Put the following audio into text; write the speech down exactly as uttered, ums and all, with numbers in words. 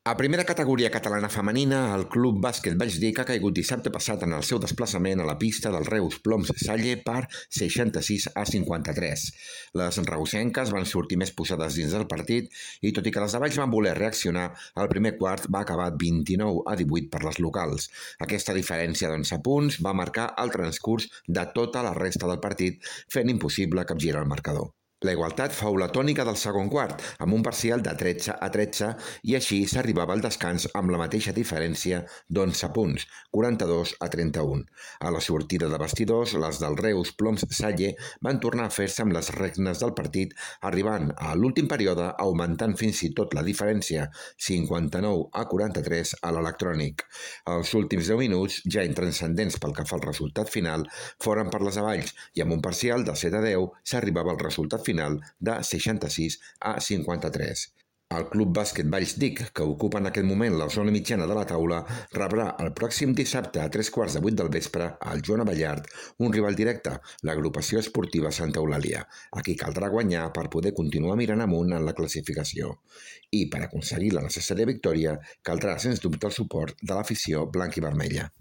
A primera categoria catalana femenina, el Club Bàsquet Vallsdic ha caigut dissabte passat en el seu desplaçament a la pista del Reus Ploms Salle per seixanta-sis a cinquanta-tres. Les reusenques van sortir més posades dins del partit i, tot i que les de Valls van voler reaccionar, el primer quart va acabar vint-i-nou a divuit per les locals. Aquesta diferència d'onze punts va marcar el transcurs de tota la resta del partit, fent impossible capgirar el marcador. La igualtat fou la tònica del segon quart, amb un parcial de tretze a tretze, i així s'arribava al descans amb la mateixa diferència d'onze punts, quaranta-dos a trenta-un. A la sortida de vestidors, les del Reus Ploms Salle van tornar a fer-se amb les regnes del partit, arribant a l'últim període augmentant fins i tot la diferència, cinquanta-nou a quaranta-tres a l'electrònic. Els últims deu minuts, ja intranscendents pel que fa al resultat final, foren per les Avalls, i amb un parcial de set a deu s'arribava al resultat final de seixanta-sis a cinquanta-tres. El Club Bàsquet Vallsdic, que ocupa en aquest moment la zona mitjana de la taula, rebrà el pròxim dissabte a tres quarts de vuit del vespre al Joan Abellard un rival directe, l'agrupació esportiva Santa Eulàlia, a qui caldrà guanyar per poder continuar mirant amunt en la classificació. I per aconseguir la necessària victòria caldrà, sens dubte, el suport de l'afició blanc i vermella.